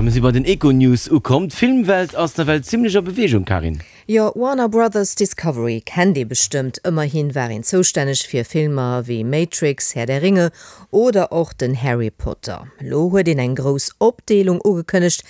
A mir si bei den Econews ukomm. D'Filmwelt ass nawell zimmlech a Beweegung, Karin. Jo, Warner Brothers Discovery kennt ee bestëmmt. Ëmmerhin war een zoustänneg fir Filmer wéi Matrix, Herr der Ringe oder och den Harry Potter. Lo huet een eng grouss Opdeelung ugekënnegt,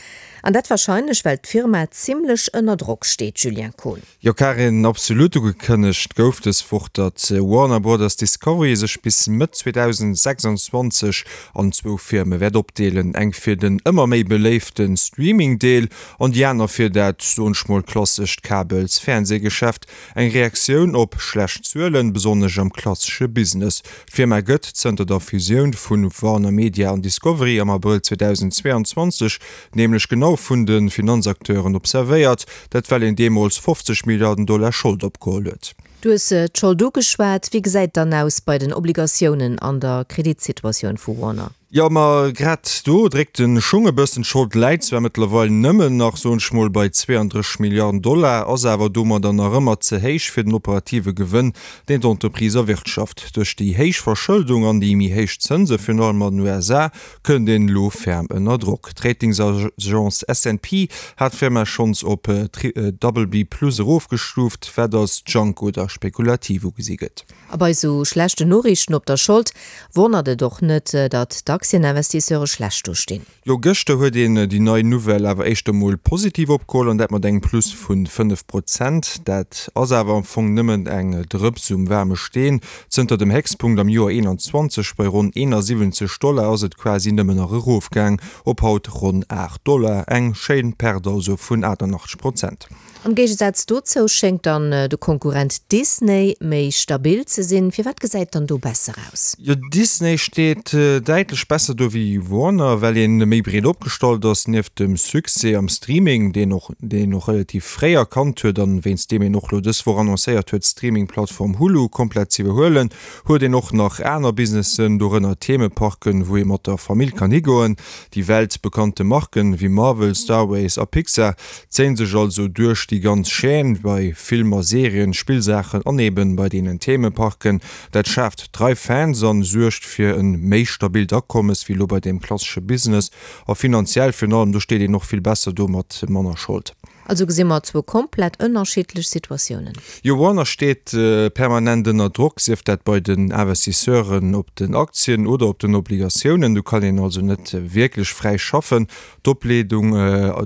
an dat warscheinlech well d'Firma zimmlech ënner Drock steet, Julien Kohn. Jo Karin, absolut. Ugekënnegt gouf dës Woch, datt Warner Brothers Discovery sech bis Mëtt 2026 an zwou Firme wäert opdeelen, eng fir den ëmmer méi beléifte Streaming-Deel an déi aner fir dat, soen ech mol, klassescht Kabels-Fernsehgeschäft. Eng Reaktioun op schlecht Zuelen, besonnesch am klassesche Business. D'Firma gëtt zënter der Fusioun vu Warner Media an Discovery am Abrëll 2022 nämlech genau vun de Finanzacteuren observéiert, dat well een deemools 50 Milliarden Dollar Schold opgeholl huet. Du hues d'Schold ugeschwat. Wéi gesäit et dann aus bei den Obligatiounen an der Kreditsituatioun vu Warner? Jo, ma grad do dréckt de Schung e bëssen. D'Schold läit zwar mëttlerweil nëmmen nach, soen ech mol, bei 32 Milliarden Dollar, ass awer domadder nach ëmmer ze héich fir den operative Gewënn, deen d'Entreprise erwirtschaft. Duerch déi héich Verschëldung an déi méi héich Zënse, virun allem an den USA, kënnt een elo ferm ënner Drock. D'Ratingsagence S&P hat d'Firma schonns op BB plus erofgestuuft, wat als Junk oder spekulativ ugesi gëtt. A bei sou schlechten Noriichten op der Schold wonnert et och net, datt d'Aktieninvestisseure schlecht do stinn. Jo, gëschter huet een déi nei Nouvelle awer éischter mol positiv opgeholl, an dat mat engem Plus vu 5 Prozent. Dat ass awer am Fong nëmmen eng Drëps um waarme Steen. Zënter dem Héchstpunkt am Joer 21 bei ronn 71 Dollar ass et quasi nëmmen nach erofgaang op haut ronn 8 Dollar, eng schéin Perte also vun 88 Prozent. Am Géigesaz dozou schéngt dann de Konkurrent Disney méi stabil ze sinn. Firwat gesäit et dann do besser aus? Jo, Disney steet däitlech besser do wéi Warner, well een méi breet opgestallt ass. Nieft dem Succès am Streaming, deen och deen een och relativ fréi erkannt huet an wéinst deem een och lo dës Woch annoncéiert huet d'Streaming-Plattform Hulu komplett z'iwwerhuelen, huet een och nach aner Businessen, dorënner Themeparken, wou ee mat der Famill kann higoen. Déi weltbekannte Marken wéi Marvel, Star Ways a Pixar zéien sech also duerch déi ganz Chaîne, bei Filmer, Serien, Spillsaachen an eben bei deenen Themeparken. Dat schaaft trei Fans an suergt fir en méi stabilt Akommes wéi lo bei deem klassesche Business. A finanziell virun allem, do steet een och vill besser do mat manner Schold. Also gesi mer zwou komplett ënnerschiddlech Situatiounen. Jo, Warner steet permanent ënner Drock, sief dat bei den Investisseuren op den Aktien oder op den Obligatiounen. Do kann een also net wierklech fräi schaffen. D'Opleedung,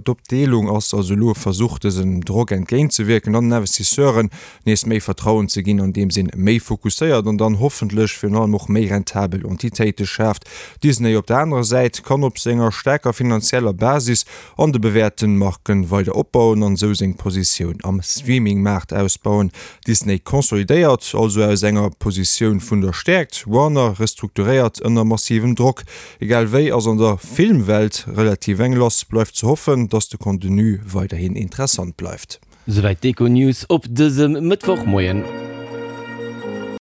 d'Opdeelung ass also elo e Versuch, dësem Drock entgéintzewierken an den Investisseuren nees méi Vertrauen ze ginn, andeems een méi fokusséiert an dann hoffentlech virun allem och méi rentabel Entitéite schaaft. Disney op der anerer Säit kann op senger staarker finanzieller Basis an de bewäerten Marken weider opbauen an esou seng Positioun am Streaming-Maart ausbauen. Disney consolidéiert also aus enger Positioun vun der Stäerkt, Warner restrukturéiert ënner massivem Drock. Egal wéi ass an der Filmwelt relativ eng lass. Bleift ze hoffen, dass de Contenu weiderhin interessant bleift. Souwäit d'Econews op dësem Mëttwochmoien.